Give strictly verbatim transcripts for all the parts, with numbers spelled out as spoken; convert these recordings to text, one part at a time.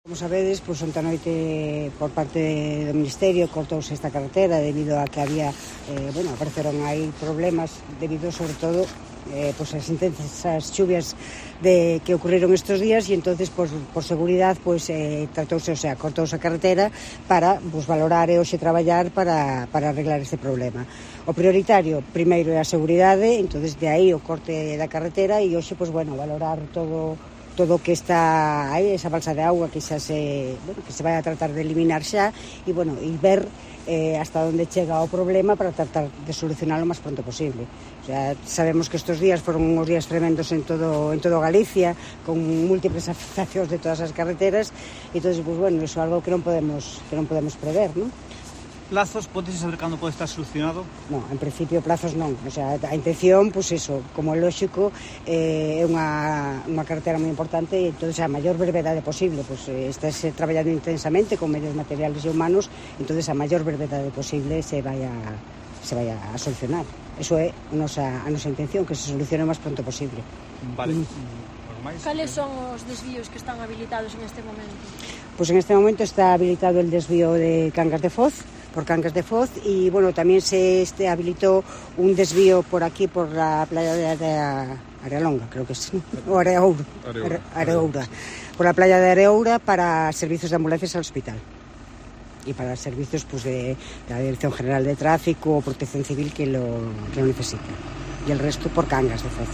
Como sabedes, pois onte a noite por parte do Ministerio cortouse esta carretera debido a que había, eh, bueno, apareceron aí problemas debido sobre todo eh, pois as intensas chuvias de, que ocurriron estes días e entonces pois, por seguridade pois, eh, tratouse, o sea, cortouse a carretera para pois, valorar e hoxe traballar para, para arreglar este problema. O prioritario primeiro é a seguridade, entonces de aí o corte da carretera e hoxe, pois, bueno, valorar todo todo o que está aí, esa balsa de agua que xa se, bueno, que se vai a tratar de eliminar xa e, bueno, e ver eh, hasta onde chega o problema para tratar de solucionarlo o máis pronto posible. O sea, sabemos que estes días foron uns días tremendos en todo en todo Galicia, con múltiples afectacións de todas as carreteras, e entonces, pues, bueno, iso é algo que non podemos que non podemos prever, non? Plazos, podes saber cando pode estar solucionado? Non, en principio plazos non, o sea, a intención, pois pues eso, como é lógico, eh, é unha, unha carretera moi importante e entón a maior brevedade posible, pois pues, estás traballando intensamente con medios materiales e humanos, entón a maior brevedade posible se vai a, se vai a solucionar. Eso é a nosa, a nosa intención, que se solucione o máis pronto posible. Vale. Mm. Cales son os desvíos que están habilitados en este momento? Pois pues en este momento está habilitado el desvío de Cangas de Foz, por Cangas de Foz, y bueno, también se este, habilitó un desvío por aquí, por la playa de Area, Arealonga, creo que es, ¿no? O Areoura, Areoura, Areoura, por la playa de Areoura para servicios de ambulancias al hospital y para servicios pues, de, de la Dirección General de Tráfico o Protección Civil que lo, que lo necesita, y el resto por Cangas de Foz.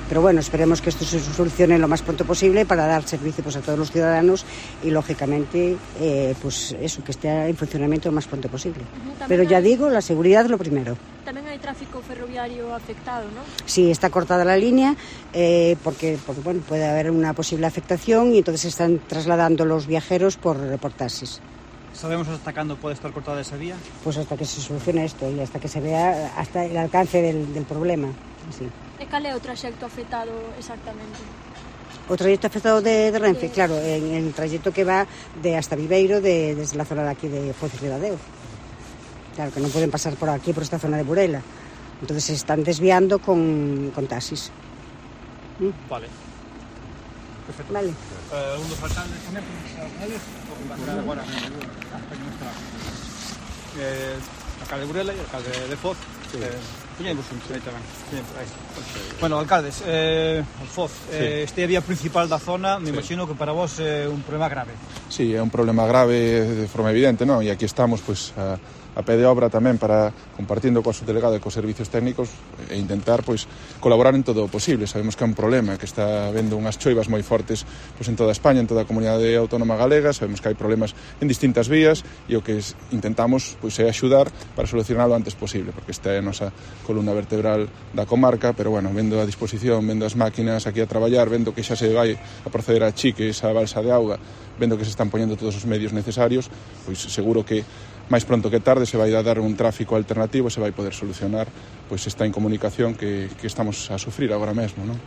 Pero bueno, esperemos que esto se solucione lo más pronto posible para dar servicio pues, a todos los ciudadanos y, lógicamente, eh, pues eso, que esté en funcionamiento lo más pronto posible. Uh-huh. Pero ya hay... digo, la seguridad lo primero. También hay tráfico ferroviario afectado, ¿no? Sí, está cortada la línea eh, porque, porque bueno, puede haber una posible afectación y entonces se están trasladando los viajeros por, por taxis. ¿Sabemos hasta cuándo puede estar cortada esa vía? Pues hasta que se solucione esto y hasta que se vea hasta el alcance del, del problema. Sí. E cal é o traxecto afectado exactamente? O trayecto afectado de, de Renfe, sí. Claro, en el trayecto que va de hasta Viveiro, de, desde la zona de aquí de Foz y Ribadeo. Claro, que no pueden pasar por aquí, por esta zona de Burela. Entonces se están desviando con, con taxis. ¿Mm? Vale. Perfecto. Vale. Uh, un dos alcaldes tamén, alcaldes, o que va a ser agora, eh, alcalde de Burela e alcalde de Foz. Sí. Eh, Puñemos un aí tamén. Aí. Bueno, alcaldes, eh, Foz, eh, sí. Este é a vía principal da zona, me sí. Imagino que para vos é un problema grave. Sí, é un problema grave de forma evidente, non? E aquí estamos, pois, a, a pé de obra tamén para, compartindo coa subdelegada e cos servicios técnicos e intentar, pois, colaborar en todo o posible. Sabemos que é un problema, que está habendo unhas choivas moi fortes pois, en toda España, en toda a comunidade autónoma galega, sabemos que hai problemas en distintas vías e o que intentamos pois, é axudar para solucionarlo o antes posible, porque esta é a nosa columna vertebral da comarca, pero bueno, vendo a disposición, vendo as máquinas aquí a traballar, vendo que xa se vai a proceder a chique esa balsa de auga, vendo que se están poñendo todos os medios necesarios, pois seguro que máis pronto que tarde se vai a dar un tráfico alternativo e se vai poder solucionar pois esta incomunicación que, que estamos a sufrir agora mesmo, non?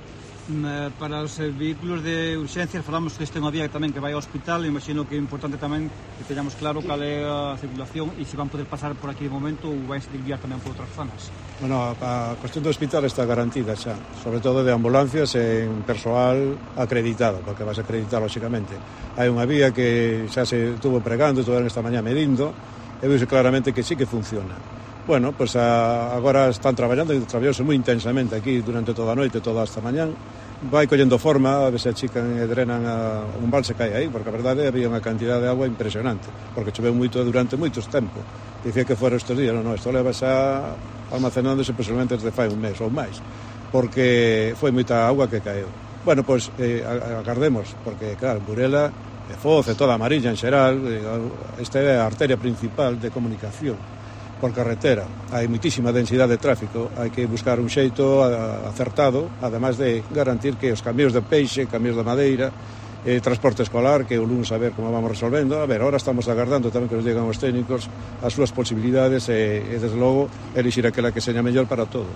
Para os vehículos de urxencias falamos que este é unha vía tamén que vai ao hospital, imagino que é importante tamén que teñamos claro cal é a circulación e se van poder pasar por aquí de momento ou vai se desviar tamén por outras zonas. Bueno, a cuestión do hospital está garantida xa, sobre todo de ambulancias e en persoal acreditado, porque vas a acreditar lóxicamente. Hai unha vía que xa se estuvo pregando, estuveron esta mañá medindo e veuse claramente que sí que funciona. Bueno, pois pues agora están traballando e traballouse moi intensamente aquí durante toda a noite, toda esta mañán. Vai collendo forma, a ver se achican e drenan a un balse que hai aí, porque a verdade había unha cantidad de agua impresionante, porque choveu moito durante moitos tempos. Dicía que fora estes días, non, non, isto leva xa almacenándose posiblemente desde fai un mes ou máis, porque foi moita agua que caeu. Bueno, pois pues, eh, agardemos, porque claro, Burela, Foz e toda a Mariña en xeral, esta é a arteria principal de comunicación por carretera. Hai moitísima densidade de tráfico, hai que buscar un xeito acertado, ademais de garantir que os camións de peixe, camións de madeira, eh, transporte escolar, que o lunes a ver como vamos resolvendo. A ver, ahora estamos agardando tamén que nos digan os técnicos as súas posibilidades e, e desde logo, elixir aquela que seña mellor para todos.